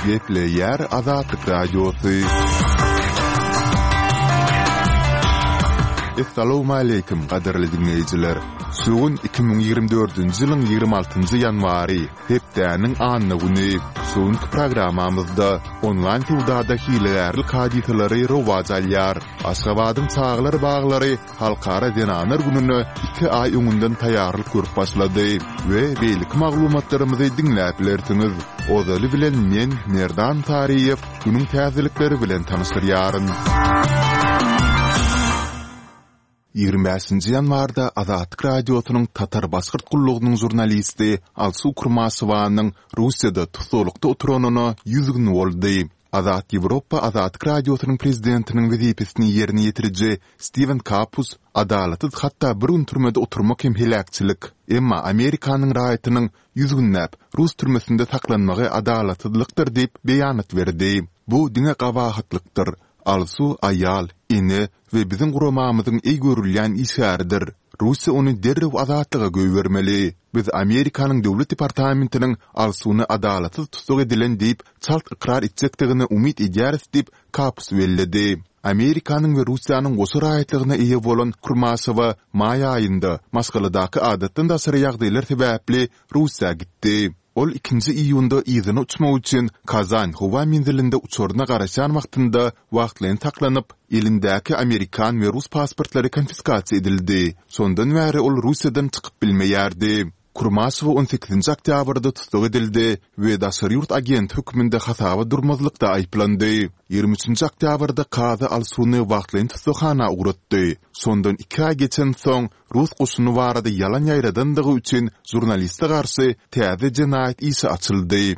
Gepleýär Azatlyk Radiosy. Essalawmaleýkim, gadyrly diňleýjiler! Şu gün 2024-nji ýylyň 26-njy ýanwary, hepdäniň anna güni. Şu günki programmamyzda onlaýn söwdada hilegärlik hadysalary rowaç alýar. Aşgabadyň çagalar baglary Halkara zenanlar gününe iki aý öňünden taýýarlyk görüp başlady we beýleki maglumatlarymyzy diňläp bilersiňiz. Ozaly bilen men, Merdan Saryýew, günüň täzelikleri bilen tanyşdyrýaryn. 25-nji ýanwarda Azatlyk Radiosynyň Tatar-Başgyrt gullugynyň žurnalisti Alsu Kurmaşewanyň Russiýada tussaglykda oturanyna 100 gün boldy. Azat Ýewropa Azatlyk Radiosynyň prezidentiniň wezipesini ýerine ýetiriji Stiwen Kapus, Adalatsyz hatda bir gün türmede oturmak hem heläkçilik. Emma Amerikanyň raýatynyň ýüz günläp rus türmesinde saklanmagy adalatsyzlykdyr diýip beýanat berdi. Bu diňe gabahatlykdyr. Alsu aýal, ene we biziň guramamyzyň eý görülýän işgäridir. Russiýa ony derrew azatlyga goýbermeli. Biz Amerikanyň Döwlet departamentiniň Alsuny adalatsyz tussag edilen diýip çalt ykrar etjekdigine umyt edýäris diýip, Kapus belledi. Amerikanyň we Russiýanyň goşa raýatlygyna eýe bolan Kurmaşewa maý aýynda maşgaladaky adatdan daşary ýagdaýlar sebäpli Russiýa gitdi. Ol ikinji iýunda yzyna uçmak üçin Kazan howa menzilinde uçaryna garaşýan wagtynda wagtlaýyn saklanyp, elindäki amerikan we rus pasportlary konfiskasiýa edildi. Şondan bäri ol Russiýadan çykyp bilmeýärdi. Kurmaşewa on sekizinji oktýabrda tussag edildi we daşary ýurt agenti hökmünde hasaba durmazlykda aýyplandy. Ýigrimi üçünji oktýabrda kazy Alsuny wagtlaýyn tussaghana ugratdy. Şondan iki aý geçensoň, rus goşuny barada ýalan ýaýradandygy üçin žurnaliste garşy täze jenaýat işi açyldy.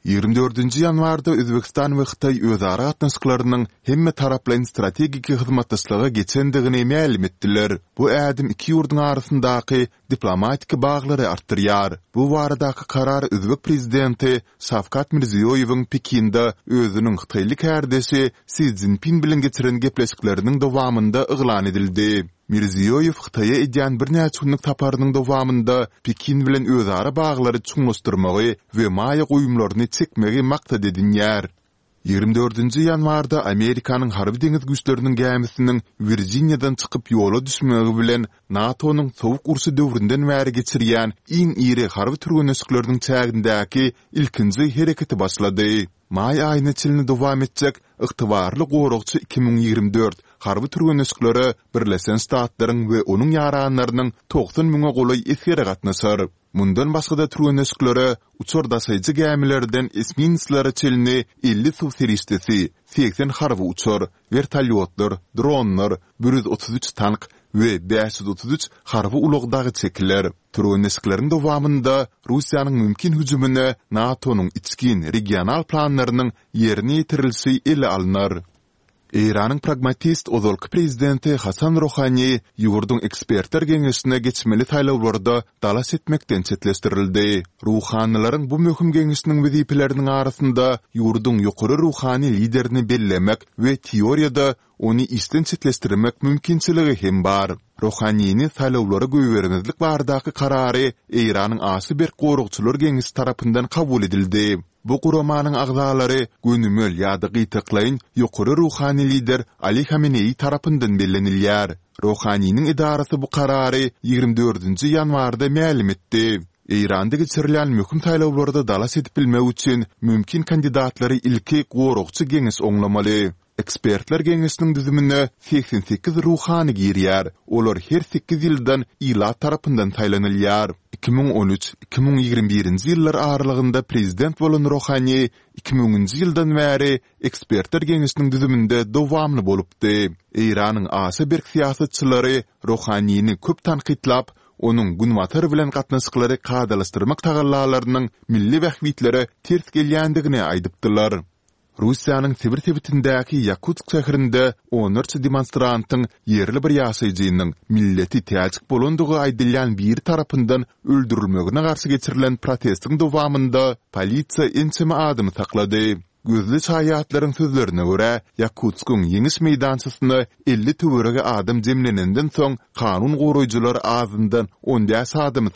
Ýigrimi dördünji ýanwarda Özbegistan we Hytaý özara gatnaşyklarynyň hemmetaraplaýyn strategik hyzmatdaşlyga geçendigini mälim etdiler. Bu ädim iki ýurduň arasyndaky diplomatik baglary artdyrýar. Bu baradaky karar özbek prezidenti Şawkat Mirziýoýewiň Pekinde özüniň hytaýly kärdeşi Si Szinpin bilen geçiren gepleşikleriniň dowamynda yglan edildi. Mirziýoýew Hytaýa edýän birnäçe günlük saparynyň dowamynda Pekin bilen özara baglary çuňlaşdyrmagy we maýa goýumlaryny çekmegi maksat edinýär. Ýigrimi dördünji ýanwarda Amerikanyň Harby-deňiz güýçleriniň gämisiniň Wirjiniýadan çykyp ýola düşmegi bilen NATO-nyň Sowuk urşy döwründen bäri geçirýän iň iri harby türgenleşikleriniň çägindäki ilkinji hereketi başlady. Maý aýyna çenli dowam etjek Ygtybarly goragçy 2024 harby türgenleşiklere Birleşen Ştatlaryň we onuň ýaranlarynyň 90 müňe golaý esgeri gatnaşar. Mundan başga-da türgenleşiklere uçar daşaýjy gämilerden esminslere çenli 50 suw serişdesi, 80 harby uçar, wertolýotlar, dronlar, 133 tank we 533 harby ulag dagy çekiler. Türgenleşikleriň dowamynda Russiýanyň mümkin hüjümine NATO-nyň içgin regional planlarynyň ýerine ýetirilişi ele alnar. Eýranyň pragmatist ozalky prezidenti Hasan Rohani ýurduň ekspertler geňeşine geçmeli saýlawlarda dalaş etmekden çetleşdirildi. Ruhanylaryň bu möhüm geňeşiniň wezipeleriniň arasynda ýurduň ýokary ruhany liderini bellemek we teoriýada ony işden çetleşdirmek mümkinçiligi hem bar. Rohanini saýlawlara goýbermezlik baradaky karary Eýranyň aşa berk goragçylar geňeşi tarapyndan kabul edildi. Bu guramanyň agzalary gönümel ýa-da gytaklaýyn ýokary ruhany lider Ali Hameneýi tarapyndan bellenilýär. Rohaniniň edarasy bu karary ýigrimi dördünji ýanwarda mälim etdi. Eýranda geçirilýän möhüm saýlawlarda dalaş edip bilmek üçin mümkin kandidatlary ilki goragçy geňeş oňlamaly. Ekspertler geňeşiniň düzümine 88 ruhany girýär, olar her sekiz ýyldan ilat tarapyndan saýlanylýar. 2013, 2021-nji ýyllar aralygynda prezident bolan Rohani iki müňünji ýyldan bäri Ekspertler geňeşiniň düzüminde dowamly bolupdy. Eýranyň aşa berk syýasatçylary Rohanini köp tankytlap, onuň Günbatar bilen gatnaşyklary kadalaşdyrmak tagallalarynyň milli bähbitlere ters gelýändigini aýdypdylar. Russiýanyň Sibir sebitindäki Ýakutsk şäherinde onlarça demonstrantyň ýerli bir ýaşaýjynyň milleti täjik bolandygy aýdylýan biri tarapyndan öldürilmegine garşy geçirilen protestiň dowamynda polisiýa ençeme adamy saklady. Gözli şaýatlaryň sözlerine görä, Ýakutskyň Ýeňiş meýdançasyna 50 töweregi adam jemlenenden soň kanun goraýjylar azyndan on bäş adamy saklady.